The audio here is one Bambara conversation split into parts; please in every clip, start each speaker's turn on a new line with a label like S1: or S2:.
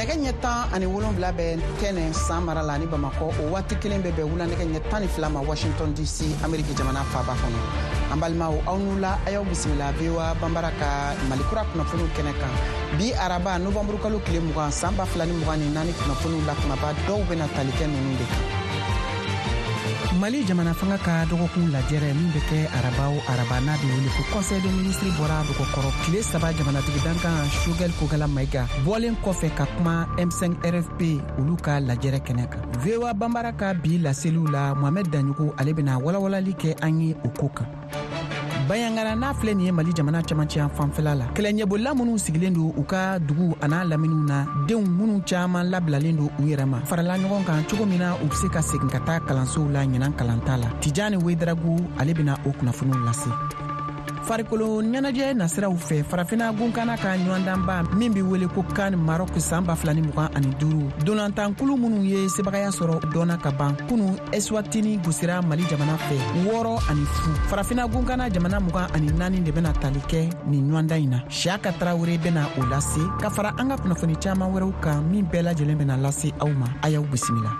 S1: Nɛgɛ ɲɛ 17 bɛ Kɛnɛ San mara la ni Bamakɔ, o waati kelen bɛ bɛn wula nɛgɛ ɲɛ 12 ma Washington DC, Ameriki jamana faaba kɔnɔ. An balimaw, aw ni wula, a y'aw bisimila VOA Banbara ka Malikura kunnafoniw kɛnɛ kan bi araba, novanburu kalo tile 20, san 2024. Kunnafoniw la kumaba dɔw bɛna tali kɛ ninnu de kan: Mali jamana fanga ka dɔgɔkun lajɛrɛ min bɛ kɛ araba o araba, n'a bɛ wele ko Conseil des ministres, bɔra dɔgɔkɔrɔ tile 3, jamanatigi dankan Choguel Kokala Mayiga bɔlen kɔfɛ ka kuma M5 RFP olu ka lajɛrɛ kɛnɛ kan. VOA Banbara ka bi laseliw la, Mohamed Daɲogo, ale bɛna walawalali kɛ an ye o ko kan. Bayangara n'a filɛ nin ye Mali jamana camancɛ fanfɛla la, kɛlɛɲɛbolila minnu sigilen don u ka dugu an'a laminiw na, denw minnu caaman labilalen don u yɛrɛ ma, farala ɲɔgɔn kan cogo min na u be se ka segin ka taa kalansow la ɲinan kalanta la. Tijani Wedrago, ale bena o kunnafoniw lase. Farikolo ɲɛnajɛ nasiraw fɛ, Farafina gunkana ka ɲɔgɔndanba min be wele ko CAN Maroc san 2025, dolantankulu minnu ye sebagaya sɔrɔ dɔnna ka ban. Kunu, Eswatini gosira Mali jamana fɛ 6-0. Farafina gunkana jamana 24 de bɛna tali kɛ nin ɲɔgɔndan in na. Siyaka Tarawele bɛna o lase ka fara an ka kunnafoni caaman wɛrɛw kan min bɛɛ lajɛlen bɛna lase aw ma. A y'aw bisimila.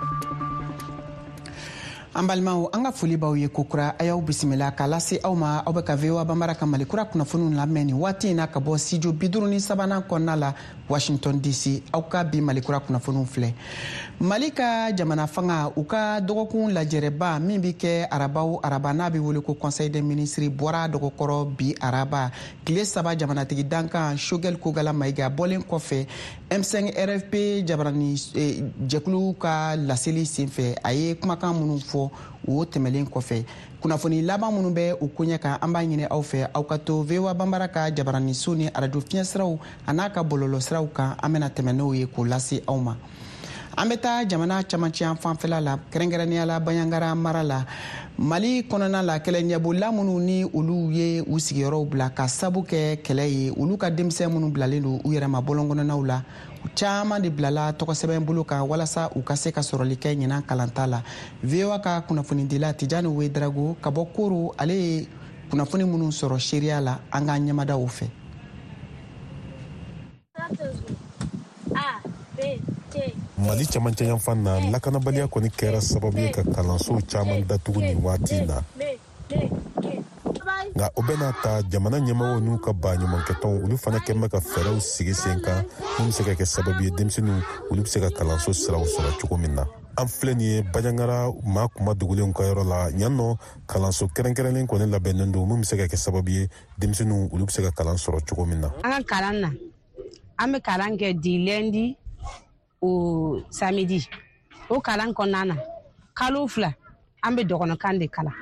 S1: An balimaw, an ka foli b'aw ye kokura, a y'aw bisimila k'a lase aw ma. Aw bɛ ka VOA Banbara ka Malikura kunnafoniw lamɛn nin waati in na ka bɔ studio 53nan kɔnɔna la, Washington DC. Aw ka bi Malikura kunnafoniw filɛ: Mali ka jamana fanga u ka dɔgɔkun lajɛrɛba min bɛ kɛ araba o araba, n'a bɛ wele ko Conseil des ministres, bɔra dɔgɔkɔrɔ bi araba, tile 3, jamanatigi dankan Choguel Kokala Mayiga bɔlen kɔfɛ M5 RFP jabarani jɛkulu ka laseli senfɛ, a ye kumakan minnu fɔ o tɛmɛlen kɔfɛ. Kunnafoni laban minnu bɛ o koɲɛ kan, an b'a ɲini aw fɛ, aw ka to VOA Banbara ka jabaraniso ni arajo fiɲɛsiraw a n'a ka bɔlɔlɔsiraw kan. An bɛna tɛmɛ n'o ye k'o lase aw ma. An bɛ taa jamana camancɛ fanfɛla la, kɛrɛnkɛrɛnnenya la Bayangara mara la, Mali kɔnɔna la. Kɛlɛɲɛbolila minnu ni olu ye u sigiyɔrɔw bila ka sabu kɛ kɛlɛ ye, olu ka denmisɛn minnu bilalen don u yɛrɛ ma bɔlɔn kɔnɔnaw la, caman de bilala tɔgɔsɛbɛn bolo kan walasa u ka se ka sɔrɔli kɛ ɲinan kalanta la. VOA ka kunnafonidila Tijani Wedrago ka bɔ Koro, ale ye kunnafoni minnu sɔrɔ seeriya la, an k'an ɲɛmada o fɛ.
S2: Mali camancɛ yanfan na, lakanabaliya kɔni kɛra sababu ye ka kalansow caman datugu nin waati na. Nka o bɛɛ n'a ta, jamana ɲɛmɔgɔw n'u ka baɲumankɛtɔnw, olu fana kɛn bɛ ka fɛɛrɛw sigi sen kan min bɛ se ka kɛ sababu ye denmisɛnninw olu bɛ se ka kalanso siraw sɔrɔ cogo min na. An filɛ nin ye Bajangara maa kuma dogolenw ka yɔrɔ la yan nɔ. Kalanso kɛrɛnkɛrɛnlen kɔni labɛnnen don min bɛ se ka kɛ sababu ye denmisɛnninw olu bɛ se ka kalan sɔrɔ cogo min na.
S3: An ka kalan na, an bɛ kalan kɛ du lundi au samedi. O kalan kɔnɔna na, kalo 2 an bɛ dɔgɔnɔkan de kalan.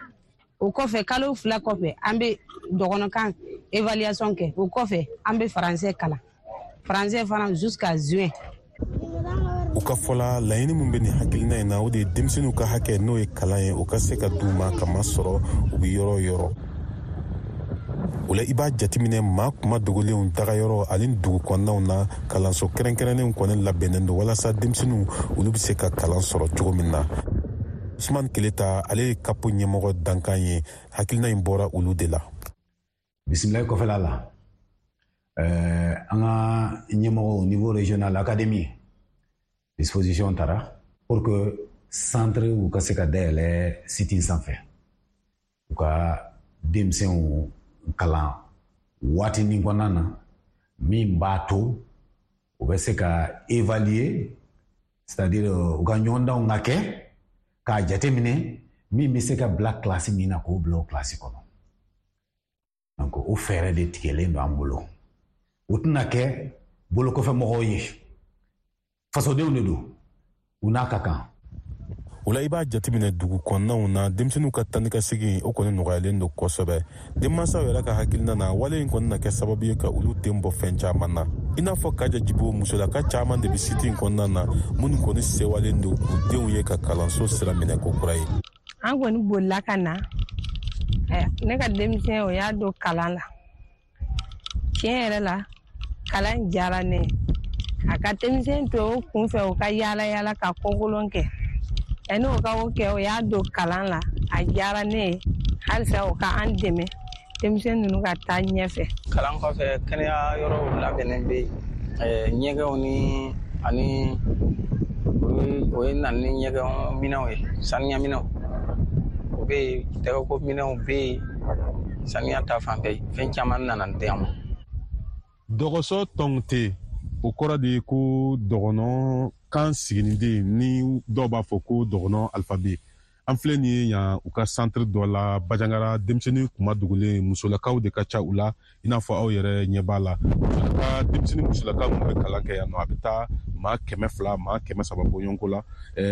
S3: O kɔfɛ, kalo 2 kɔfɛ, an bɛ dɔgɔnɔkan évaluation kɛ. O kɔfɛ, an bɛ français kalan, français fana jusqu'à juin.
S2: U ka fɔla, laɲini min bɛ nin hakilina in na, o de ye denmisɛnninw ka hakɛ, n'o ye kalan ye, o ka se ka d'u ma ka masɔrɔ u bɛ yɔrɔ o yɔrɔ. O la, i b'a jateminɛ maa kuma dogolenw dagayɔrɔ ani dugu kɔnɔnaw na, kalanso kɛrɛnkɛrɛnnenw kɔni labɛnnen don walasa denmisɛnninw olu bɛ se ka kalan sɔrɔ cogo min na. Usman Keleta, ale ye kapo ɲɛmɔgɔ dankan ye. Hakilina in bɔra olu de la.
S4: Bisimilayi kɔfɛla la, an ka ɲɛmɔgɔw au niveau régional, académie, disposition tara pour que centre u ka se ka dayɛlɛ site sanfɛ, u ka denmisɛnw kalan waatinin kɔnɔna na min b'a to u bɛ se ka évaluer, c'est-à-dire u ka ɲɔgɔndanw ka kɛ k'a jateminɛ min bɛ se ka bila kilasi min na, k'o bila o kilasi kɔnɔ. Donc o fɛɛrɛ de tigɛlen don an bolo. O tɛna kɛ bolokɔfɛ mɔgɔw ye, fasodenw de don, u n'a ka kan.
S2: O la, i b'a jateminɛ dugu kɔnɔnaw na, denmisɛnninw ka tani ka segin, o kɔni nɔgɔyalen don kosɛbɛ. Denmansaw yɛrɛ ka hakilina na, wale in kɔni na kɛ sababu ye ka olu den bɔ fɛn caman na, i n'a fɔ Kaja Jibo. Musolaka caman de bɛ site in kɔnɔna na minnu kɔni sewalen don k'u denw ye ka kalanso sira minɛ ko kura ye.
S5: An kɔni bolila ka na. Ne ka denmisɛn, o y'a don kalan la. Tiɲɛ yɛrɛ la, kalan diyara ne ye. A ka denmisɛn to o kunfɛ, o ka yaala yaala ka kɔkolon kɛ, yanni o ka o kɛ, o y'a don kalan la. A diyara ne ye. Halisa o ka an dɛmɛ, denmisɛn ninnu ka taa ɲɛfɛ.
S6: Kalan kɔfɛ, kɛnɛya yɔrɔw labɛnnen bɛ yen, ɲɛgɛnw ni Ani o ye na ni ɲɛgɛn minɛnw ye, saniya minɛnw o bɛ yen, tɛgɛko minɛnw bɛ yen, saniya ta fan fɛ, fɛn caman nana di an ma.
S2: Dɔgɔsɔ tɔnte, o kɔrɔ de ye ko dɔgɔnɔ kan siginiden, ni dɔw b'a fɔ ko dɔgɔnɔ alphabet. An filɛ nin ye yan u ka centre dɔ la Bajangara, denmisɛnnin kuma dogolen, musolakaw de ka ca u la. I n'a fɔ aw yɛrɛ ɲɛ b'a la, musolaka, denmisɛnnin musolaka minnu bɛ kalan kɛ yan nɔ, a bɛ taa maa 200, maa 300 bɔɲɔgɔnko la.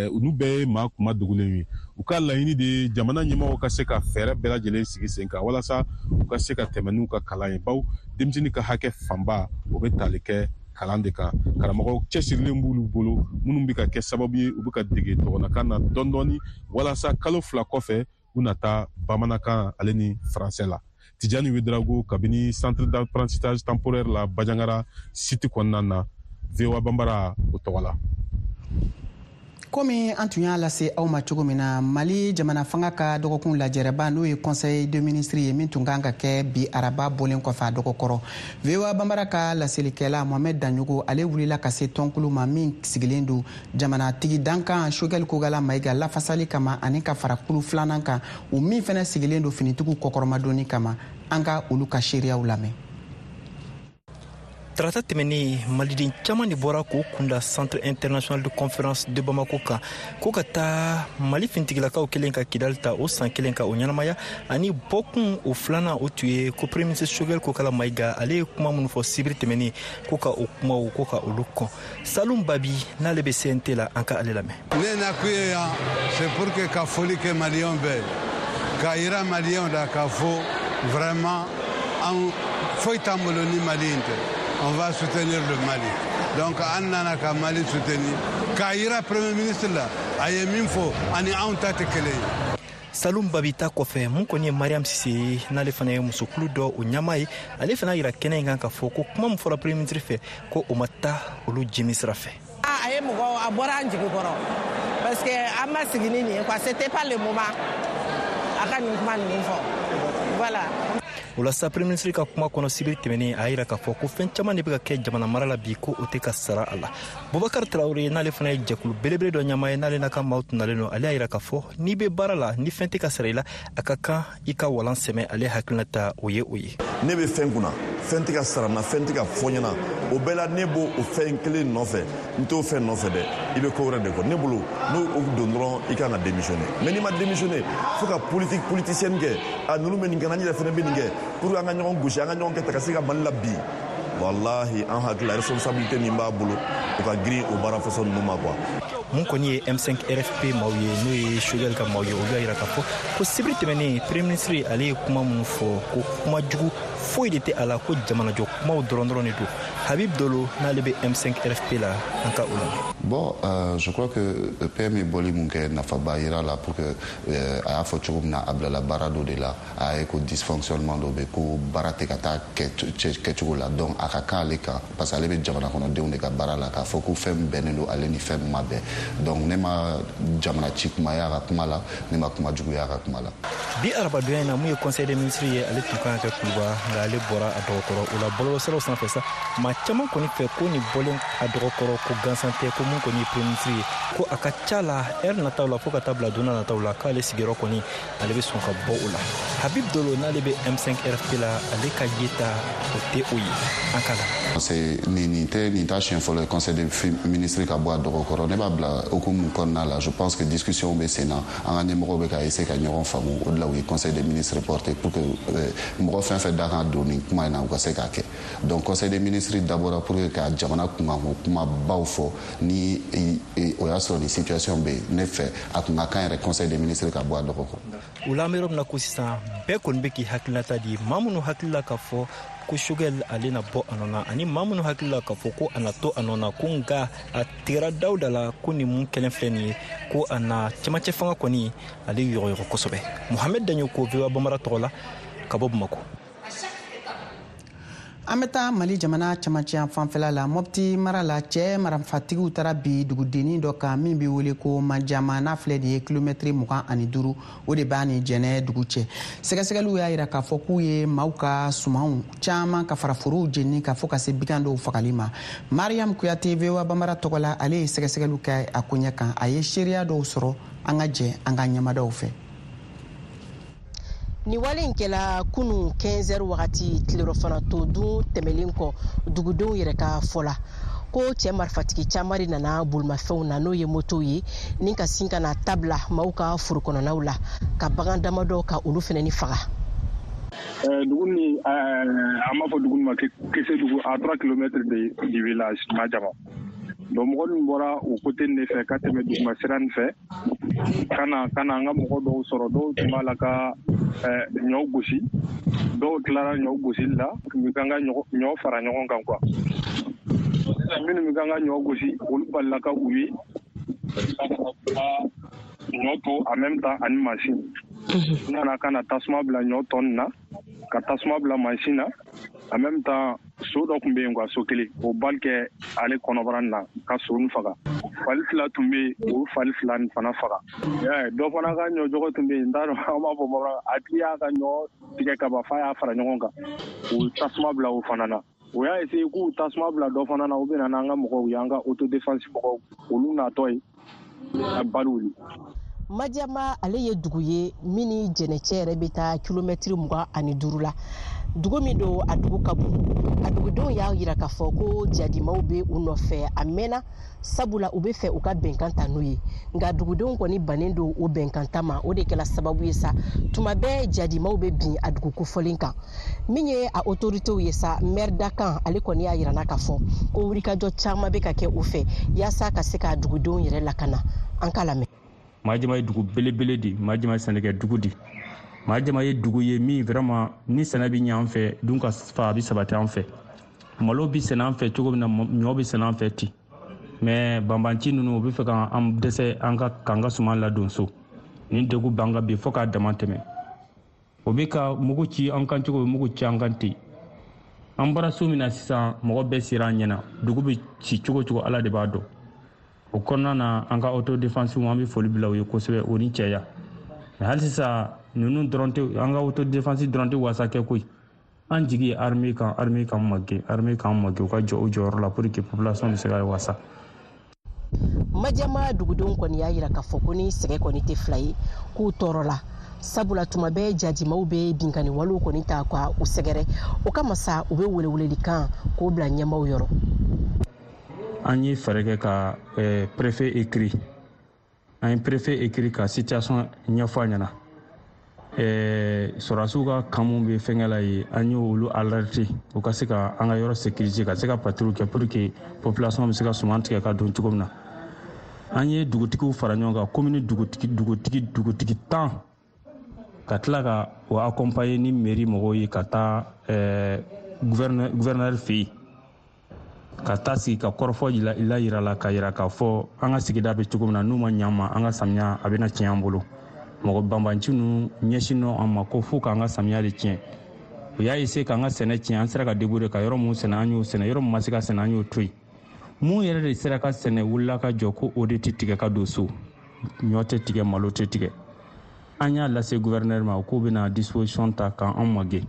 S2: Olu bɛɛ ye maa kuma dogolen ye. U ka laɲini de ye jamana ɲɛmɔgɔw ka se ka fɛɛrɛ bɛɛ lajɛlen sigi sen kan walasa u ka se ka tɛmɛ n'u ka kalan ye, bawo denmisɛnnin ka hakɛ fanba o bɛ tali kɛ kalan de kan. Karamɔgɔw cɛsirilen b'olu bolo minnu bɛ ka kɛ sababu ye u bɛ ka dege dɔgɔnɔkan na dɔɔni dɔɔni, walasa kalo 2 kɔfɛ u na taa bamanankan ale ni faransɛ la. Tijani Ouédraogo, kabini centre d'apprentissage temporaire la Bajangara site kɔnɔna na, VOA Bambara o tɔgɔ la.
S1: Komi an tun y'a lase aw ma cogo min na, Mali jamana fanga ka dɔgɔkun lajɛrɛba, n'o ye conseil de ministre ye, min tun kan ka kɛ bi araba bɔlen kɔfɛ a dɔgɔkɔrɔ, VOA Bambara ka laselikɛla Mohamed Daɲogo, ale wulila ka se tɔnkulu ma min sigilen don jamanatigi dankan Choguel Kokalla Maïga lafasali kama, ani ka fara kulu filanan kan, o min fɛnɛ sigilen don finitigiw kɔkɔrɔmadonni kama. An ka olu ka seereyaw lamɛn.
S7: Tarata tɛmɛnen, maliden caman de bɔra k'o kunda Centre international de conférence de Bamako kan ko ka taa Mali fintigilakaw kelen ka Kidali ta o san kelen ka o ɲɛnamaya. Ani bɔkun o filanan, o tun ye ko premier ministre Choguel Kokalla Maïga, ale ye kuma minnu fɔ sibiri tɛmɛnen, ko ka o kumaw ko ka olu kɔn. Salum Babi, n'ale bɛ CNT la, an ka ale lamɛn.
S8: Ne nakun ye yan, c'est pour que ka foli kɛ maliyɛnw bɛɛ, k'a yira maliyɛnw la k'a fɔ vraiment an foyi t'an bolo ni Mali in tɛ. On va soutenir le Mali. Donc an nana ka Mali soutenir, k'a yira premier ministre la, a ye min fɔ ani anw ta tɛ kelen ye.
S7: Salum Babi ta kɔfɛ, mun kɔni ye Mariam Sise ye, n'ale fana ye musokulu dɔ o ɲɛmaa ye, ale fana yira kɛnɛ in kan k'a fɔ ko kuma min fɔra premier ministre fɛ, ko o ma taa olu jimi sira fɛ.
S9: A ye mɔgɔ a bɔra an jigi kɔrɔ, parce que an ma sigi ni nin ye quoi. C'était pas le moment a ka nin kuma ninnu fɔ, voilà.
S7: O la sa, premier ministre ka kuma kɔnɔ sibiri tɛmɛnen, a y'a yira k'a fɔ ko fɛn caman de bɛ ka kɛ jamana mara la bi, ko o tɛ ka sara a la. Bubakar Tarawele, n'ale fana ye jɛkulu belebele dɔ ɲɛmaa ye, n'ale n'a ka maaw tun nalen don, ale y'a yira k'a fɔ n'i bɛ baara la, ni fɛn tɛ ka sara i la, a ka kan i ka walan sɛmɛ. Ale hakilina ta o ye o ye.
S10: Ne bɛ fɛn kunna, fɛn tɛ ka sara n na, fɛn tɛ ka fɔ n ɲɛna, o bɛɛ la ne b'o o fɛn kelen nɔfɛ. N t'o fɛn nɔfɛ dɛ, i bɛ ko wɛrɛ de kɔ. Ne bolo, n'o o don dɔrɔn, i kan ka démissionner. Mais n'i ma démissionner, fo ka politique politicienne kɛ, a ninnu bɛ nin kɛ, n yɛrɛ fana bɛ nin kɛ pour que an ka ɲɔgɔn gosi, an ka ɲɔgɔn kɛ ta ka se ka Mali la bi. Walahi, an hakili la, responsabilité min b'a bolo, o ka girin o baara façon ninnu ma quoi.
S7: Mun kɔni ye M5 RFP maaw ye, n'o ye Choguel ka maaw ye, olu y'a yira k'a fɔ ko sibiri tɛmɛnen, premier ministre ale ye kuma minnu fɔ, ko kuma jugu foyi de tɛ a la, ko jamanajɔ kumaw dɔrɔn dɔrɔn de don. Habib Dolo, n'ale bɛ M5 RFP la, an ka o lamɛn.
S11: Bon, je crois que PM ye bɔli mun kɛ, nafaba yira la pour que a y'a fɔ cogo min na, a bilala baara dɔ de la, a ye ko dysfonctionnement dɔ bɛ, ko baara tɛ ka taa kɛcogo la. Donc a ka kan ale kan, parce que ale bɛ jamana kɔnɔdenw de ka baara la, k'a fɔ ko fɛn min bɛnnen don ale ni fɛn min ma bɛn. Donc ne ma jamana ci kuma ye a ka kuma la, ne ma kuma jugu ye a ka kuma la.
S7: Bi arabadonya in na, mun ye conseil des ministres ye, ale tun kan ka kɛ Kuluba, nka ale bɔra a dɔgɔkɔrɔ. O la, bɔlɔlɔsiraw sanfɛ sa, maa caman kɔni fɛ ko nin bɔlen a dɔgɔkɔrɔ ko gansan tɛ, ko mun kɔni ye premier ministre ye, ko a ka ca la ɛri nataw la, fo ka taa bila donna nataw la, k'ale sigiyɔrɔ kɔni ale bɛ sɔn ka bɔ o la. Habib Dolo, n'ale bɛ M5 RFP la, ale ka yeta o tɛ o ye, an ka la.
S11: C'est nin tɛ nin ta siɲɛ fɔlɔ ye conseil des ministres ka bɔ a dɔgɔkɔrɔ. Ne b'a bila hukumu kɔnɔna la, je pense que discussion bɛ sen na, an ka ɲɛmɔgɔw bɛ ka essayer ka ɲɔgɔn faamu. O de la u ye conseil des ministres reporté pour que mɔgɔ fɛn fɛn da kan don nin kuma in na, u ka se k'a kɛ. Donc conseil des ministres dabɔra pour que ka jamana kunkanko kumabaw fɔ. Ni o y'a sɔrɔ nin situation bɛ yen, ne fɛ a kun ka kan yɛrɛ conseil des ministres ka bɔ a dɔgɔkɔrɔ.
S7: O la, an bɛ yɔrɔ min na ko sisan, bɛɛ kɔni bɛ k'i hakilinata di. Maa minnu hakili la k'a fɔ ko Choguel ale na bɔ a nɔ na, ani maa minnu hakili la k'a fɔ ko a na to a nɔ na, ko nka a tigɛra Dawuda la, ko nin mun kɛlen filɛ nin ye, ko a na cɛmancɛ fanga kɔni ale yɔgɔyɔgɔ kosɛbɛ. Mohamed Daɲo ko VOA Bambara tɔgɔ la ka bɔ Bamako.
S1: An An bɛ taa Mali jamana camancɛ fanfɛla la, Mɔpti mara la, cɛ marifatigiw taara bi dugudennin dɔ kan min bɛ wele ko Majama, n'a filɛ nin ye kilomɛtiri 25, o de b'a ni Jɛnɛ dugu cɛ. Sɛgɛsɛgɛliw y'a yira k'a fɔ k'u ye maaw ka sumanw caman ka fara forow jeni ka fɔ ka se bigan dɔw fagali ma. Mariam Kuyate, VOA Bambara tɔgɔ la, ale ye sɛgɛsɛgɛliw kɛ a koɲɛ kan, a ye seereya dɔw sɔrɔ. An ka jɛ an ka ɲɛmadaw fɛ.
S12: Nin wale in kɛla kunu 15 heures wagati, tilerɔfana to dun tɛmɛlen kɔ. Dugudenw yɛrɛ ka fɔ la ko cɛ marifatigi caman de nana bolimafɛnw na, n'o ye motow ye, ni ka sin ka na tabila maaw ka foro kɔnɔnaw la, ka bagan damadɔ ka olu fɛnɛ ni faga.
S13: Dugu ni an b'a fɔ dugu ma Kesedugu, à 3 kilomètres du village Majama. Donc mɔgɔ min bɔra o côté de fɛ ka tɛmɛ duguma sira nin fɛ ka na an ka mɔgɔ dɔw sɔrɔ, dɔw tun b'a la ka ɲɔ gosi, dɔw tilara ɲɔ gosili la, tun bɛ kan ka ɲɔ fara ɲɔgɔn kan quoi. Sisan minnu bɛ kan ka ɲɔ gosi, olu balila ka u ye ɲɔ to en même temps ani mansin. U nana ka na tasuma bila ɲɔ tɔ nin na, ka tasuma bila mansin na en même temps. So dɔ tun bɛ yen quoi, so kelen, o bali kɛ ale kɔnɔbara nin na ka so nin faga. Fali fila tun bɛ yen, o fali fila nin fana faga. Dɔ fana ka ɲɔjɔgɔ tun bɛ yen, n t'a dɔn an b'a fɔ bamanan, a tigi y'a ka ɲɔ tigɛ ka ban f'a y'a fara ɲɔgɔn kan, o tasuma bila o fana na. O y'a essayer k'u tasuma bila dɔ fana na, u bɛ na n'an ka mɔgɔw ye, an ka autodéfense mɔgɔw, olu natɔ ye ka bali wuli.
S12: Madiama ale ye dugu ye min ni Jɛnɛcɛ yɛrɛ bɛ taa kilomɛtiri 25 la. Dugu min don, a dugu ka bon. A dugudenw y'a yira k'a fɔ ko jadimaw bɛ u nɔfɛ a mɛnna, sabula u bɛ fɛ u ka bɛnkan ta n'u ye, nka dugudenw kɔni bannen don o bɛnkan ta ma. O de kɛla sababu ye sa, tuma bɛɛ jadimaw bɛ bin a dugu kofɔlen kan. Min ye a autoritéw ye sa, maire dakan ale kɔni y'a yira k'a fɔ ko wulikajɔ caman bɛ ka kɛ u fɛ yaasa ka se ka dugudenw yɛrɛ lakana. An k'a lamɛn.
S14: Majama ye dugu belebele de, Majama ye sɛnɛkɛ dugu de. Majama ye dugu ye min vraiment ni sɛnɛ bɛ ɲɛ an fɛ, dun ka fa a bɛ sabati an fɛ. Malo bɛ sɛnɛ an fɛ cogo min na, ɲɔ bɛ sɛnɛ an fɛ ten. Mais banbanci ninnu, u bɛ fɛ k'an dɛsɛ an ka k'an ka suman ladon so. Nin degun b'an kan bi fo k'a dama tɛmɛ. O bɛ ka mugu ci an kan cogo, mugu ci an kan ten. An bɔra so min na sisan, mɔgɔ bɛɛ sera an ɲɛna. Dugu bɛ ci cogo cogo, Ala de b'a dɔn. O kɔnɔna na, an ka autodéfense, an bɛ foli bila u ye kosɛbɛ, o ni cɛya. Mais hali sisan, ninnu dɔrɔn tɛ, an ka autodéfense dɔrɔn tɛ wasa kɛ koyi. An jigi ye armée kan, armée k'an magɛn, armée k'an magɛn, u ka jɔ u jɔyɔrɔ la pour que population bɛ se ka wasa.
S12: Madiama dugudenw kɔni y'a yira k'a fɔ ko ni sɛgɛ kɔni tɛ fila ye, k'u tɔɔrɔ la, sabula tuma bɛɛ jadimaw bɛ binkani walew kɔni ta ka u sɛgɛrɛ. O kama sa, u bɛ welewelelikan k'o bila ɲɛmaaw yɔrɔ.
S14: An ye fɛɛrɛ kɛ ka préfet écrit, an ye préfet écrit ka situation ɲɛfɔ a ɲɛna. Sɔrɔdasiw ka camp mun bɛ fɛnkɛ la yen, an y'olu alerter u ka se ka an ka yɔrɔ sécuriser, ka se ka patrouille kɛ pour que population bɛ se ka suman tigɛ ka don cogo min na. An ye dugutigiw fara ɲɔgɔn kan, commune dugutigi 10, ka tila ka o accompagner ni mairie mɔgɔw ye ka taa gouverneur fɛ yen, ka taa sigi ka kɔrɔfɔ la yira la, ka yira k'a fɔ an ka sigida bɛ cogo min na, n'u ma ɲɛ an ma, an ka samiya a bɛna tiɲɛ an bolo. Mɔgɔ banbanci ninnu ɲɛsin an ma ko fo k'an ka samiya de tiɲɛ. U y'a essayer k'an ka sɛnɛ tiɲɛ, an sera ka débrouiller ka yɔrɔ mun sɛnɛ, an y'o sɛnɛ. Yɔrɔ min ma se ka sɛnɛ, an y'o to yen. Mun yɛrɛ de sera ka sɛnɛ, wulila ka jɔ ko o de tɛ tigɛ ka don so, ɲɔ tɛ tigɛ, malo tɛ tigɛ. An y'a lase gouverneur ma k'u bɛna disposition ta k'an magɛn.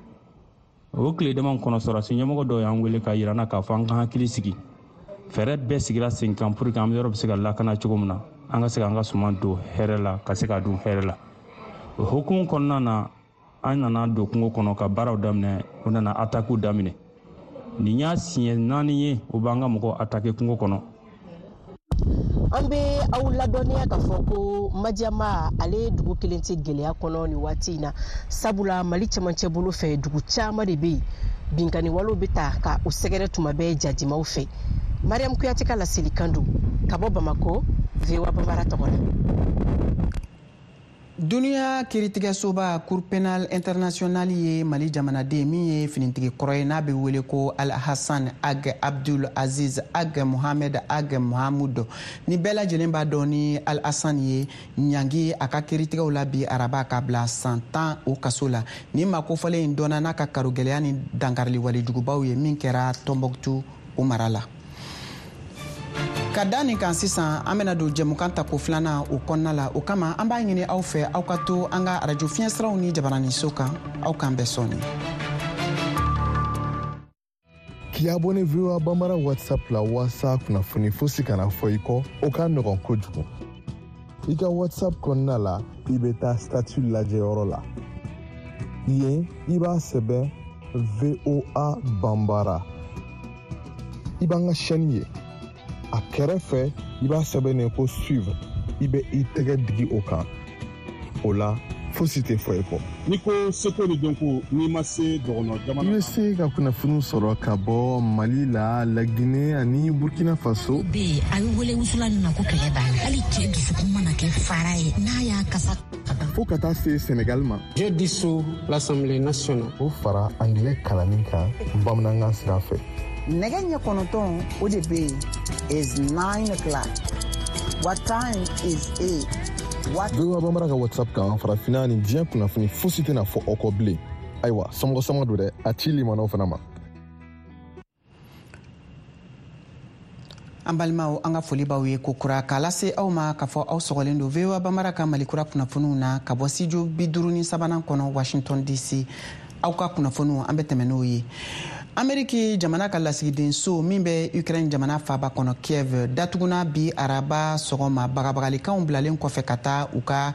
S14: O tile dama kɔnɔ, sɔrɔdasi ɲɛmɔgɔ dɔw y'an wele ka yira n na k'a fɔ an ka hakili sigi, fɛɛrɛ bɛɛ sigira sen kan pour que an yɔrɔ bɛ se ka lakana cogo min na, an ka se k'an ka suman don hɛrɛ la, ka se k'a dun hɛrɛ la. O hukumu kɔnɔna na, an nana don kungo kɔnɔ ka baaraw daminɛ. U nana attaque daminɛ. Nin y'a siɲɛ 4 ye u b'an ka mɔgɔw attaquer kungo kɔnɔ.
S12: An bɛ aw ladɔnniya k'a fɔ ko Madiama ale dugu kelen tɛ gɛlɛya kɔnɔ nin waati in na, sabula Mali cɛmancɛ bolo fɛ, dugu caman de bɛ yen, binkani walew bɛ ta ka u sɛgɛrɛ tuma bɛɛ jadimaw fɛ. Mariam Kuyate ka laselikan don ka bɔ Bamako, VOA Bambara tɔgɔ la.
S1: Duniya kiritigɛsoba Cour pénale internationale ye Mali jamanaden min ye finitigi kɔrɔ ye, n'a bɛ wele ko Al Hassan Ag Abdul Aziz Ag Mohamed Ag Mahamud, ni bɛɛ lajɛlen b'a dɔn ni Al Hassan ye, ɲangi a ka kiritigɛw la bi araba ka bila san 10 o kaso la. Nin maa kofɔlen in dɔnna n'a ka karogɛlɛya ni dankarili walejugubaw ye min kɛra Tɔnbɔkutu o mara la. Ka da nin kan sisan, an bena don jɛmukan tako filanan o kɔnɔna la. O kama an b'a ɲini aw fɛ, aw ka to an ka arajo fiɲɛsiraw ni jabaraniso kan. Aw k'an bɛn sɔɔni.
S15: K'i abonné VOA Bambara WhatsApp la waasa kunnafoni fosi kana fɔ i kɔ, o ka nɔgɔn kojugu. I ka WhatsApp kɔnɔna la, i bɛ taa statut lajɛyɔrɔ la. Yen, i b'a sɛbɛn VOA Bambara. I b'an ka chaîne ye. A kɛrɛfɛ, i b'a sɛbɛnnen ko suivre. I bɛ i tɛgɛ digi o kan. O la, fosi tɛ fɔ i kɔ.
S16: N'i ko seko ni dɔnko, n'i ma se dɔgɔnɔ jamana
S15: I bɛ se ka kunnafoniw sɔrɔ ka bɔ Mali la, Laginɛ ani Burkina Faso.
S17: Bɛ yen, a bɛ wele wusula nin ma ko kɛlɛ banna. Hali cɛ dusukun mana kɛ fara ye, n'a y'a kasa ka ban.
S15: Fo ka taa se Senegal ma.
S18: Je dissous l'Assemblée nationale.
S15: O fara angilɛ kalanni kan bamanankan sira fɛ.
S1: Nɛgɛ ɲɛ 9, o de bɛ yen, is 9 o'clock. What time is it? What
S15: VOA Bambara ka WhatsApp kan, farafinna ni diɲɛ kunnafoni fosi tɛna fɔ aw kɔ bilen. Ayiwa, somɔgɔ sama don dɛ, a ci limanaw fana ma.
S1: An balimaw, an ka foli b'aw ye kokura k'a lase aw ma k'a fɔ aw sɔgɔlen don VOA Bambara ka Malikura kunnafoniw na ka bɔ studio 53nan kɔnɔ, Washington DC. Aw ka kunnafoniw, an bɛ tɛmɛ n'o ye. Ameriki jamana ka lasigidenso min bɛ Ukraine jamana faaba kɔnɔ Kiev datuguna bi araba sɔgɔma, bagabagalikanw bilalen kɔfɛ ka taa u ka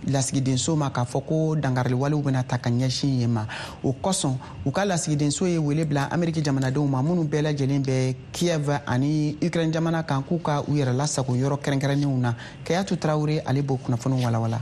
S1: lasigidenso ma k'a fɔ ko dankariliwalew bɛna ta ka ɲɛsin yen ma. O kosɔn, u ka lasigidenso ye wele bila Ameriki jamanadenw ma minnu bɛɛ lajɛlen bɛ Kiev ani Ukraine jamana kan, k'u ka u yɛrɛ lasago yɔrɔ kɛrɛnkɛrɛnnenw na. Kayatu Tarawele, ale b'o kunnafoniw walawala.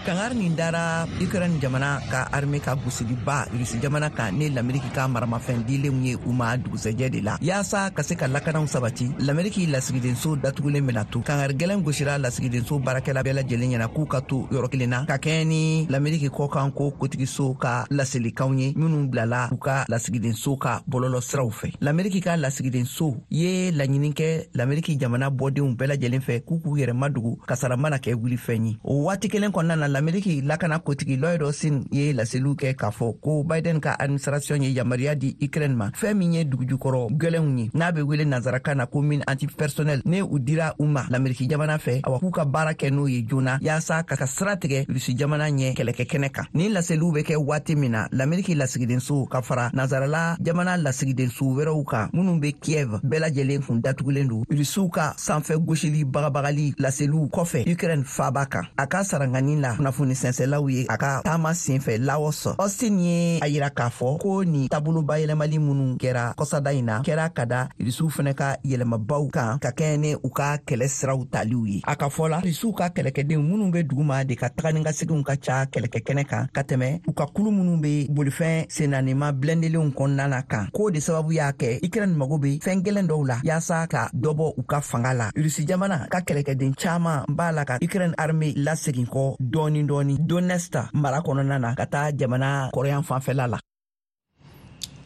S19: Kangari nin dara Ukraine jamana ka armée ka gosiliba Rusi jamana kan ni Lameriki ka maramafɛn dilenw ye u ma dugusɛjɛ de la, yaasa ka se ka lakanaw sabati. Lameriki lasigidenso datugulen bena to. Kangari gɛlɛn gosira lasigidenso baarakɛla bɛɛ lajɛlen ɲɛna k'u ka to yɔrɔ kelen na, ka kɛɲɛ ni Lameriki kɔkan ko kotigiso ka laselikanw ye minnu bilala u ka lasigidenso ka bɔlɔlɔ siraw fɛ. Lameriki ka lasigidenso ye laɲini kɛ Lameriki jamana bɔdenw bɛɛ lajɛlen fɛ k'u k'u yɛrɛ madogo, kasara mana kɛ wulifɛn ye. O waati kelen kɔnɔna na, Lameriki lakana kotigi Lloyd Austin ye laseliw kɛ k'a fɔ ko Biden ka administration ye yamaruya di Ukraine ma, fɛn min ye dugujukɔrɔ gwɛlɛnw ye, n'a bɛ wele nansarakan na ko mine antipersonnel, ne u dira u ma Lameriki jamana fɛ, awa, k'u ka baara kɛ n'o ye joona yaasa ka sira tigɛ Rusi jamana ɲɛ kɛlɛkɛ kɛnɛ kan. Nin laseliw bɛ kɛ waati min na, Lameriki lasigidenso ka fara nansarala jamana lasigidenso wɛrɛw kan minnu bɛ Kiev bɛɛ lajɛlen kun datugulen don, Rusiw ka sanfɛ gosili bagabagali laseliw kɔfɛ Ukraine faaba kan. A ka sarangani la kunnafoni sɛnsɛlaw ye a ka taama senfɛ Laos, Austin ye a yira k'a fɔ ko nin taabolo bayɛlɛmali minnu kɛra kɔsada in na kɛra ka da Rusiw fɛnɛ ka yɛlɛmabaw kan ka kɛɲɛ ni u ka kɛlɛ siraw taliw ye. A ka fɔ la, Rusiw ka kɛlɛkɛdenw minnu bɛ duguma de ka taga ni ka seginw ka ca kɛlɛkɛ kɛnɛ kan ka tɛmɛ u ka kulu minnu bɛ bolifɛn sennanima bilɛndelenw kɔnɔna na kan, k'o de sababu y'a kɛ Ukraine mago bɛ fɛn gɛlɛn dɔw la yaasa ka dɔ bɔ u ka fanga la. Rusi jamana ka kɛlɛkɛden caman b'a la ka Ukraine armée lasegin kɔ dɔɔni dɔɔni Donetsk mara kɔnɔna na ka taa jamana kɔrɔyan fanfɛla la.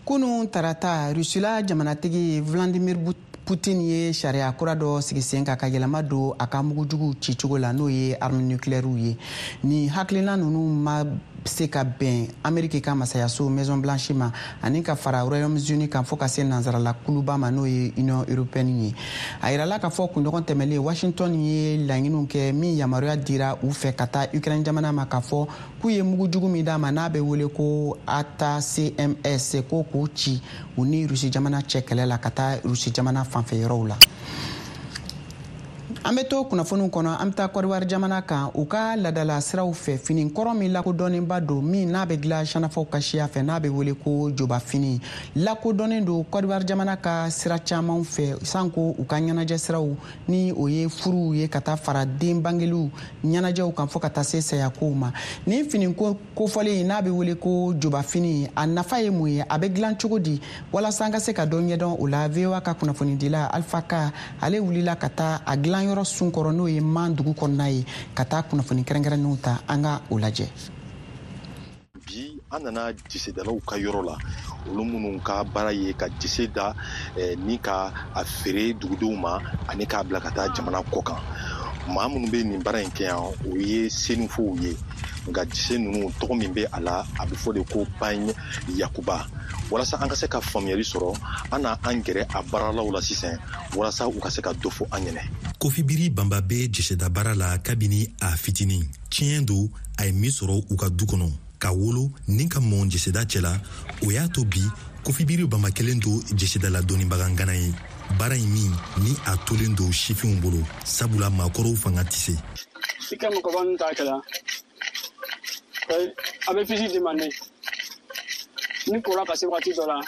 S1: Kunu tarata, Rusila jamanatigi Vladimir Putin ye sariya kura dɔ sigi sen kan ka yɛlɛma don a ka mugujuguw cicogo la, n'o ye arme nucléaire ye. Ni hakilina ninnu ma se ka bɛn Ameriki ka masayaso Maison Blanche ma ani ka fara Royaume-Uni kan, fo ka se nansarala kuluba ma, n'o ye Union européenne ye. A yirala k'a fɔ kunɲɔgɔn tɛmɛlen, Washington ye laɲiniw kɛ min yamaruya dira u fɛ ka taa Ukraine jamana ma, k'a fɔ k'u ye mugujugu min d'a ma, n'a bɛ wele ko ATACMS, ko k'u ci u ni Rusi jamana cɛ kɛlɛ la ka taa Rusi jamana fanfɛ yɔrɔw la. An bɛ to kunnafoniw kɔnɔ. An bɛ taa Kɔdiwari jamana kan. U ka ladala siraw fɛ, fini kɔrɔ min lakodɔnnenba don, min n'a bɛ dilan sanafaw ka siya fɛ, n'a bɛ wele ko joba fini, lakodɔnnen don Kɔdiwari jamana ka sira caman fɛ, sanko u ka ɲɛnajɛ siraw, ni o ye furuw ye, ka taa fara den bangeliw ɲɛnajɛw kan, fo ka taa se sayakow ma. Nin fini kofɔlen, n'a bɛ wele ko joba fini, a nafa ye mun ye? A bɛ dilan cogo di? Walasa an ka se ka dɔ ɲɛdɔn o la, VOA ka kunnafonidila Alpha Ka, ale wulila ka taa a dilan. kalanyɔrɔ sun kɔrɔ, n'o ye Man dugu kɔnɔna ye, ka taa kunnafoni kɛrɛnkɛrɛnnenw ta. An ka o lajɛ.
S20: Bi an nana jisedalaw ka yɔrɔ la, olu minnu ka baara ye ka jise da ni ka a feere dugudenw ma ani k'a bila ka taa jamana kɔ kan. Maa minnu bɛ nin baara in kɛ yan, o ye senufow ye. Nka jise ninnu tɔgɔ min bɛ a la, a bɛ fɔ de ko pagne yakuba. Walasa an ka se ka faamuyali sɔrɔ, an na an gɛrɛ a baaralaw la sisan walasa u ka se ka dɔ fɔ an ɲɛnɛ.
S21: Kofibiri Banba bɛ jiseda baara la kabini a fitinin. Tiɲɛ don, a ye min sɔrɔ u ka du kɔnɔ, ka wolo ni ka mɔn jeseda cɛ la, o y'a to bi Kofibiri Banba kelen don jesedala dɔnnibaga ŋana ye. Baara in min ni a tolen don sifinw bolo, sabula maakɔrɔw fanga tɛ se.
S22: I ka mɔgɔba ninnu t'a kɛla, a bɛ fisi demande ni kora ka se waati dɔ la,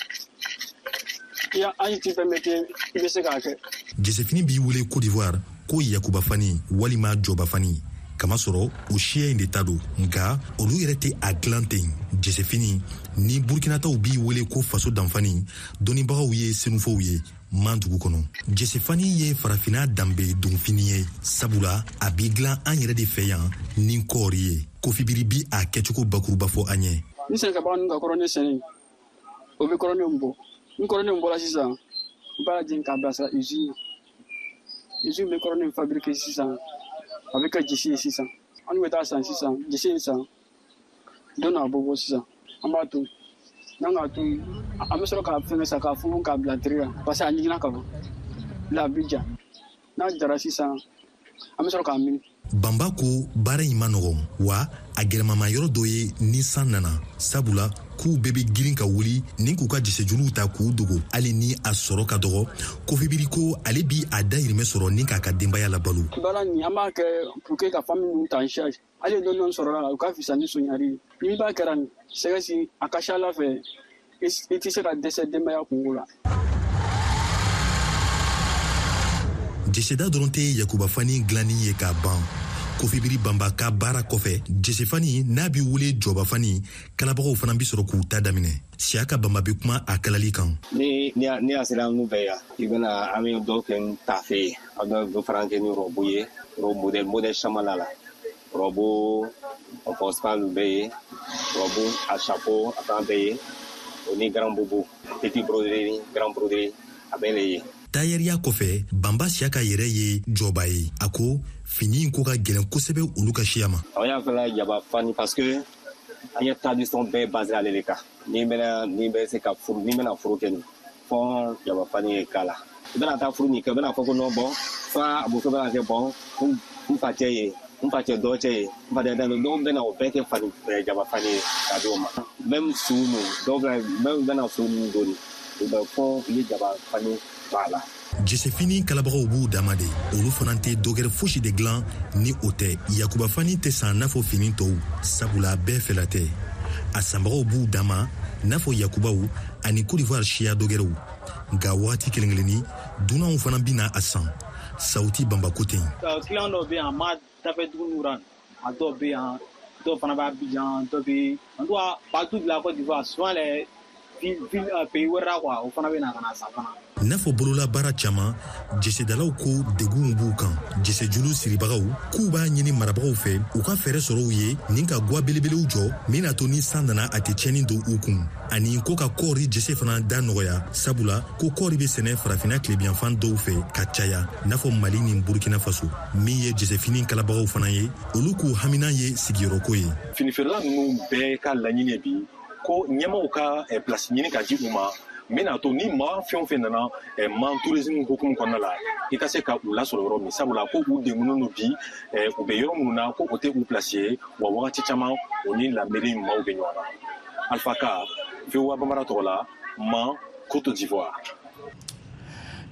S22: i ya âge t'i permettre i bɛ se k'a kɛ.
S21: Jesefini b'i wele Côte d'Ivoire ko yakuba fani walima jɔba fani, kamasɔrɔ o siya in de ta don. Nka olu yɛrɛ tɛ a dilan ten. Jesefini ni Burkinataw b'i wele ko faso danfani, dɔnnibagaw ye senufow ye Man dugu kɔnɔ. Jesefani ye farafina danbe donfini ye, sabula a b'i dilan an yɛrɛ de fɛ yan ni kɔɔri ye. Kofibiri bi a kɛcogo bakuruba fɔ an ye.
S22: Ni sɛnɛkɛbaga ninnu ka kɔrɔne sɛnɛ, o bɛ kɔrɔne bɔ. Ni kɔrɔne bɔra sisan, u b'a jeni k'a bilasira usine. Usine bɛ kɔrɔne fabriquer sisan, a bɛ kɛ jise ye sisan. An bɛ taa san sisan, jise in san, don n'a bɔ bɔ sisan, an b'a to. N'an k'a to, an bɛ sɔrɔ k'a fɛngɛ sa, k'a funfun k'a bila tire la, parce que a ɲiginna ka ban. La a bɛ ja. N'a jara sisan, an bɛ sɔrɔ k'a mini.
S21: Banba ko baara in ma nɔgɔn, wa a gɛlɛmama yɔrɔ dɔ ye ni san nana, sabula k'u bɛɛ bɛ girin ka wuli ni k'u ka jisejuluw ta k'u dogo. Hali ni a sɔrɔ ka dɔgɔ, Kofibiri ko ale bi a dayirimɛ sɔrɔ ni k'a ka denbaya labalo.
S22: Baara nin an b'a kɛ pour que ka famille ninnu ta en charge. Hali dɔɔni dɔɔni sɔrɔ la, o ka fisa ni sonyali ye. N'i b'a kɛra nin sɛgɛsi, a ka ca Ala fɛ, i tɛ se ka dɛsɛ denbaya kungo la.
S21: Jeseda dɔrɔn tɛ yakuba fani dilanni ye k'a ban. Kofibiri Banba ka baara kɔfɛ, jesefani n'a bɛ wele jɔba fani, kalabagaw fana bɛ sɔrɔ k'u ta daminɛ. Siyaka Banba bɛ kuma a kalali kan.
S23: Ni ni a sera an fɛ yan, i bɛna an bɛ dɔw kɛ ni tafe ye, an bɛ dɔ fana kɛ ni rɔbu ye, rɔbu modèle caman la la. Rɔbu en bɛ yen, rɔbu a chapeau a fana bɛ yen, o ni grand boubou, petit broderie, grand broderie, a bɛɛ le ye.
S21: Tayɛriya kɔfɛ, Banba Siyaka yɛrɛ ye jɔba ye. A ko fini in ko ka gɛlɛn kosɛbɛ olu ka siya ma.
S23: An y'a fɛla jaba fani parce que an ye tradition bɛɛ basé ale de kan. N'i bɛna n'i bɛ se ka furu, n'i bɛna furu kɛ nin, fɔ jaba fani ye k'a la. I bɛna taa furu nin kɛ, i bɛna fɔ ko non bon, fa a muso bɛna kɛ bon, n fa cɛ ye, n fa cɛ dɔ cɛ ye, n fa cɛ dɔ, dɔw bɛna o bɛɛ kɛ fani jaba fani ye k'a di o ma. Même su ninnu, dɔw bɛna même bɛna su ninnu don nin, u bɛ fɔ u ye jaba fani b'a la.
S21: Jesefini kalabagaw b'u dama de, olu fana tɛ dɔgɛrɛ fosi de dilan ni o tɛ. Yakuba fani tɛ san n'a fɔ fini tɔw, sabula bɛɛ fɛla tɛ. A sanbagaw b'u dama n'a fɔ yakubaw ani Côte d'Ivoire siya dɔgɛrɛw. Nka wagati kelen kelenni, dunanw fana bɛna a san. Sawuti Banba ko ten.
S24: Client dɔw bɛ yan, ma dafɛ dugu ninnu ra, a dɔw bɛ yan, dɔw fana bɛ Abidjan, dɔw bɛ en tout cas partout de la Côte d'Ivoire, souvent les ville pays wɛrɛ la quoi, o fana bɛ na ka na san fana.
S21: N'a fɔ bololabaara caman, jesedalaw ko degunw b'u kan. Jesejulu siribagaw k'u b'a ɲini marabagaw fɛ u ka fɛɛrɛ sɔrɔ u ye ni ka gwa belebelew jɔ min n'a to ni san nana a tɛ tiɲɛni don u kun, ani ko ka kɔɔri jese fana da nɔgɔya, sabula ko kɔɔri bɛ sɛnɛ farafinna tilebiyanfan dɔw fɛ ka caya, n'a fɔ Mali ni Burkina Faso. Min ye jesefini kalabagaw fana ye, olu k'u hamina ye sigiyɔrɔko ye.
S20: Finifeerela ninnu bɛɛ ka laɲini ye bi ko ɲɛmaaw ka place ɲini ka di u ma, min n'a to ni maa fɛn o fɛn nana Man tourisme hukumu kɔnɔna la, i ka se ka u lasɔrɔ yɔrɔ min, sabula ko u degunnen don bi, u bɛ yɔrɔ minnu na ko o tɛ u place ye, wa wagati caman o ni la mairie maaw bɛ ɲɔgɔn na. Alpha Ka, VOA Bambara tɔgɔ la, Man, Côte d'Ivoire.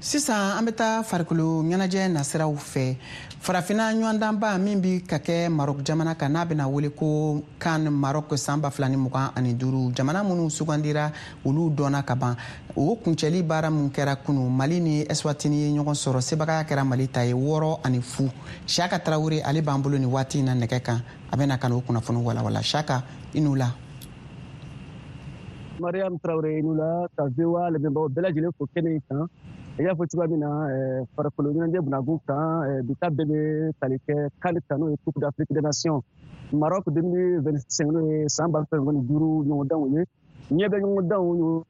S1: Sisan an bɛ taa farikolo ɲɛnajɛ nasiraw fɛ. Farafinna ɲɔgɔndanba min bi ka kɛ Maroc jamana kan, n'a bɛna wele ko CAN Maroc san 2025, jamana minnu sugandira olu dɔnna ka ban. O kuncɛli baara min kɛra kunu, Mali ni Eswatini ye ɲɔgɔn sɔrɔ, sebagaya kɛra Mali ta ye 6-0. Siaka Tarawele ale b'an bolo nin waati in na nɛgɛ kan, a bɛna ka n'o kunnafoni walawala. Siaka, i n'u la.
S25: Mariam Traoré i n'u la, ka VOA lamɛnbagaw bɛɛ lajɛlen fo kɛnɛ in kan.
S3: I y'a fɔ cogoya min na, farikolo ɲɛnajɛ bunagun kan, bi ta bɛɛ bɛ tali kɛ CAN kan, n'o ye Coupe d'Afrique des Nations Maroc 2025, n'o ye san 2025 ɲɔgɔndanw ye. Ɲɛ bɛ ɲɔgɔndanw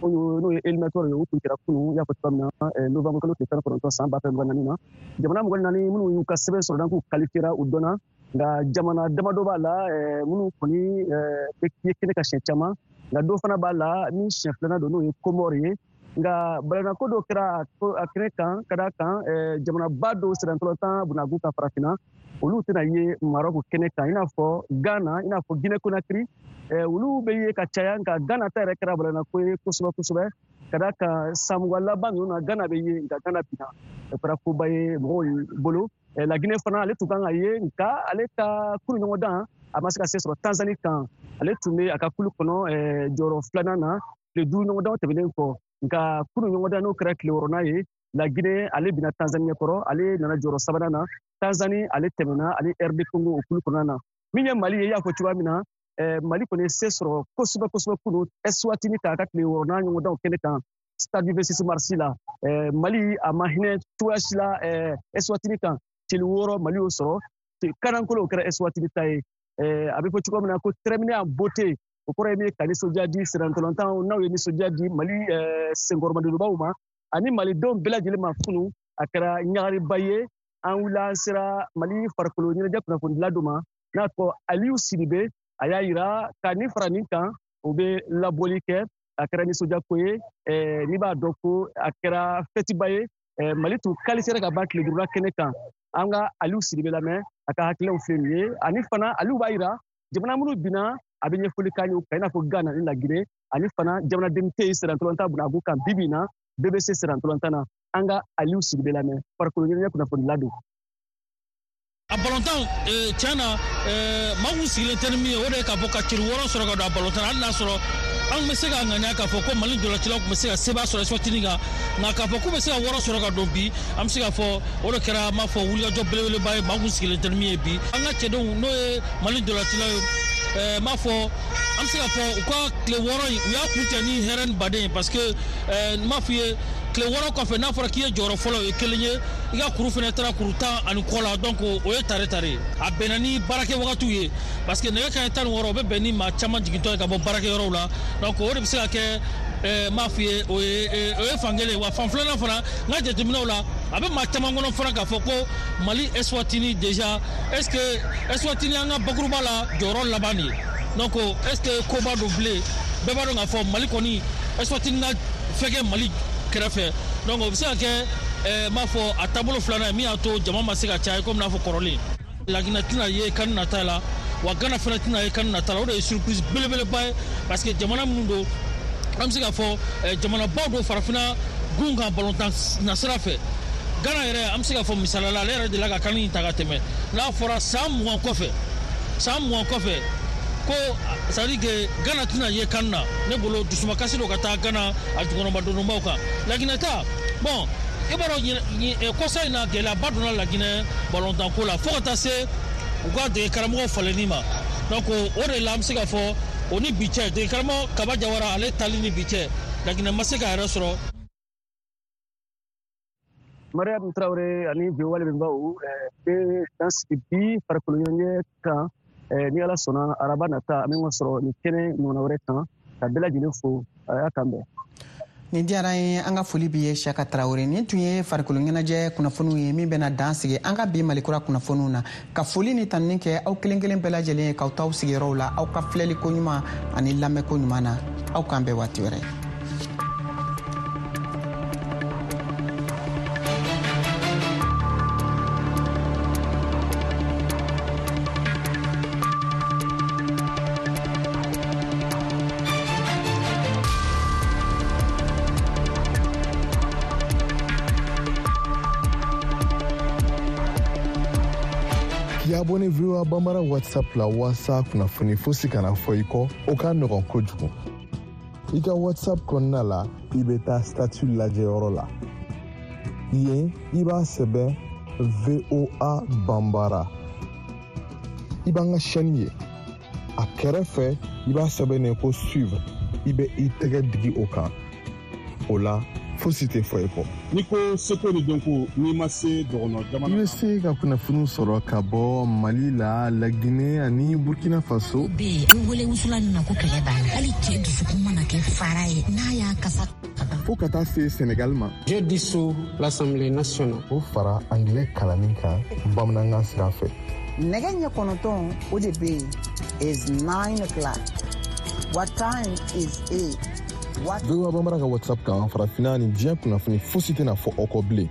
S3: n'o ye éliminatoire ye, o tun kɛra kunun, i y'a fɔ cogoya min na, novembre kalo tile 19 san 2024 na. Jamana 24 minnu y'u ka sɛbɛn sɔrɔ, k'u qualifiera, u dɔnna. Nka jamana damadɔ b'a la minnu kɔni ye kɛnɛ ka siɲɛ caman, nka dɔ fana b'a la ni siɲɛ filanan don, n'o ye Comore ye. Nka balanako dɔ kɛra a kɛnɛ kan, ka d'a kan jamanaba dɔw sirantɔlɔtan bunagun ka farafinna, olu tɛna ye Maroc kɛnɛ kan, i n'a fɔ Ghana, i n'a fɔ Guinée Conakry. Olu bɛ ye ka caya, nka Ghana ta yɛrɛ kɛra balanako ye kosɛbɛ kosɛbɛ, ka d'a kan san 20 laban ninnu na, Ghana bɛ ye, nka Ghana binna, o kɛra koba ye mɔgɔw bolo. La Guinée fana, ale tun kan ka ye, nka ale ka kulu ɲɔgɔndan, a ma se ka se sɔrɔ Tanzanie kan. Ale tun bɛ a ka kulu kɔnɔ jɔyɔrɔ filanan na tile 5 ɲɔgɔndan tɛmɛnen kɔ. Nka kulu ɲɔgɔndan, n'o kɛra tile 6nan ye, La Guinée ale binna Tanzanie ɲɛkɔrɔ, ale nana jɔyɔrɔ sabanan na. Tanzanie ale tɛmɛna ani RD Congo o kulu kɔnɔna na. Min ye Mali ye, i y'a fɔ cogoya min na, Mali kɔni ye se sɔrɔ kosɛbɛ kosɛbɛ kunu Eswatini k'a ka tile 6nan ɲɔgɔndanw kɛnɛ kan stade 26 mars la. Mali a ma hinɛ cogoya si la Eswatini kan. Celu 6 Mali y'o sɔrɔ, kanankolo o kɛra Eswatini ta ye. A bɛ fɔ cogoya min na ko terminé en beauté, o kɔrɔ ye min ye ka nisɔndiya di sirantɔlɔntan n'aw ye, nisɔndiya di Mali senkɔrɔmadonbaw ma ani malidenw bɛɛ lajɛlen ma. Kunu a kɛra ɲagariba ye. An wulila, an sera Mali farikolo ɲɛnajɛ kunnafonidila dɔ ma n'a tɔgɔ Aliyu Sidibe. A y'a yira ka nin fara nin kan, o bɛ labɔli kɛ. A kɛra nisɔndiyako ye, n'i b'a dɔn ko a kɛra fɛtiba ye. Mali tun qualifiera ka ban tile 5nan kɛnɛ kan. An ka Aliyu Sidibe lamɛn, a ka hakililaw filɛ nin ye. Ani fana Aliyu b'a yira jamana minnu binna, a bɛ ɲɛfɔli k'an ye o kan, i n'a fɔ Ghana ni Laginɛ, ani fana jamanaden tɛ yen sirantɔlɔntan bunagun kan bi bi in na, bɛɛ bɛ se sirantɔlɔntan na. An ka Aliyu Sidibe lamɛn, farikolo ɲɛnajɛ kunnafonidila don.
S4: A balontan, tiɲɛ na, maa kun sigilen tɛ ni min ye, o de ye k'a fɔ ka celu 6 sɔrɔ ka don a balontan na. Hali n'a sɔrɔ an bɛ se ka ŋaniya k'a fɔ ko Mali dolacilaw tun bɛ se ka seba sɔrɔ Eswatini kan, nka k'a fɔ k'u bɛ se ka 6 sɔrɔ ka don bi, an bɛ se k'a fɔ o de kɛra, an b'a fɔ, wulikajɔ belebeleba ye, maa kun sigilen tɛ ni min ye bi. An ka cɛdenw, n'o ye Mali dolacilaw ye, n b'a fɔ, an bɛ se k'a fɔ u ka tile 6 in, u y'a kuncɛ ni hɛrɛ ni baden ye, parce que n b'a f'i ye, tile 6 kɔfɛ, n'a fɔra k'i ye jɔyɔrɔ fɔlɔ, o ye kelen ye, i ka kuru fana taara kuru 10 ani kɔ la, donc o ye tare tare ye. A bɛnna ni baarakɛ wagatiw ye, parce que nɛgɛ kanɲɛ 16, o bɛ bɛn ni maa caman jigintɔ ye ka bɔ baarakɛyɔrɔw la. Donc o de bɛ se ka kɛ, n b'a f'i ye, o ye fan kelen ye. Wa fan filanan fana, n ka jateminɛw la, a bɛ maa caman kɔnɔ fana k'a fɔ ko Mali Eswatini déjà, est ce que Eswatini an ka bakuruba la jɔyɔrɔ laban de ye? Donc est ce que koba don bilen? Bɛɛ b'a dɔn k'a fɔ Mali kɔni, Eswatini ka fɛn kɛ Mali kɛrɛfɛ. Donc o bɛ se ka kɛ, n b'a fɔ, a taabolo filanan ye min y'a to jama ma se ka caya komi n'a fɔ kɔrɔlen. Laginɛ tɛna ye CAN nata la, wa Ghana fana tɛna ye CAN nata la. O de ye surprise belebeleba ye, parce que jamana minnu don, an bɛ se k'a fɔ jamanabaw don farafinna gun kan balontan nasira fɛ. Ghana yɛrɛ, an bɛ se k'a fɔ misaliya la, ale yɛrɛ delila ka CAN in ta ka tɛmɛ. N'a fɔra san 20 kɔfɛ, san 20 kɔfɛ ko, c'est à dire que Ghana tɛna ye CAN na, ne bolo dusumakasi don ka taa Ghana a jukɔrɔmadonbaw kan. Laginɛ ta, bon, i b'a dɔn, kɔsa in na gɛlɛyaba donna Laginɛ balontanko la, fo ka taa se u ka dege karamɔgɔ falenni ma. Donc o de la, an bɛ se k'a fɔ o ni bi cɛ, dege karamɔgɔ Kaba Jawara ale tali ni bi cɛ, Laginɛ ma se k'a yɛrɛ sɔrɔ.
S3: Mariam Traoré ani VOA lamɛnbaaw bɛ dan sigi bi farikolo ɲɛnajɛ kan. Ni Ala sɔnna, araba nata an bɛ ɲɔgɔn sɔrɔ nin kɛnɛ ɲɔgɔnna wɛrɛ kan. Ka bɛɛ lajɛlen fo, a y'a kan bɛn.
S1: Nin diyara an ye, an ka foli b'i ye, Siyaka Tarawele. Nin tun ye farikolo ɲɛnajɛ kunnafoniw ye min bɛna dan sigi an ka bi Malikura kunnafoniw na. Ka foli ni tanuni kɛ aw kelen kelen bɛɛ lajɛlen ye k'aw t'aw sigiyɔrɔw la, aw ka filɛli ko ɲuman ani lamɛnko ɲuman na. Aw k'an bɛn waati wɛrɛ.
S15: K'i abonné VOA Bambara WhatsApp la waasa kunnafoni fosi kana fɔ i kɔ, o ka nɔgɔn kojugu. I ka WhatsApp kɔnɔna la, i bɛ taa statut lajɛyɔrɔ la. Yen, i b'a sɛbɛn VOA Bambara. I b'an ka chaîne ye. A kɛrɛfɛ, i b'a sɛbɛn ko suivre. I bɛ i tɛgɛ digi o kan. O la, Fosi tɛ fɔ i kɔ.
S16: N'i ko seko ni dɔnko, n'i ma se dɔgɔnɔ jamana.
S15: I bɛ se ka kunnafoniw sɔrɔ ka bɔ Mali la, Lagine ani Burkina Faso.
S17: Bɛ yen, i wele wusulan nin na ko kɛlɛ banna. Hali cɛ dusukun mana kɛ fara ye, n'a y'a kasa.
S15: Fo ka taa se Senegal ma.
S18: Je dissous l'Assemblée nationale.
S15: O fara angilɛ kalanni kan bamanankan sira fɛ.
S1: Nɛgɛ ɲɛ 9, o de bɛ yen, is 9 o'clock. What time is it? What?
S15: VOA Bambara ka WhatsApp kan, farafinna ni diɲɛ kunnafoni fosi tɛna fɔ aw kɔ bilen.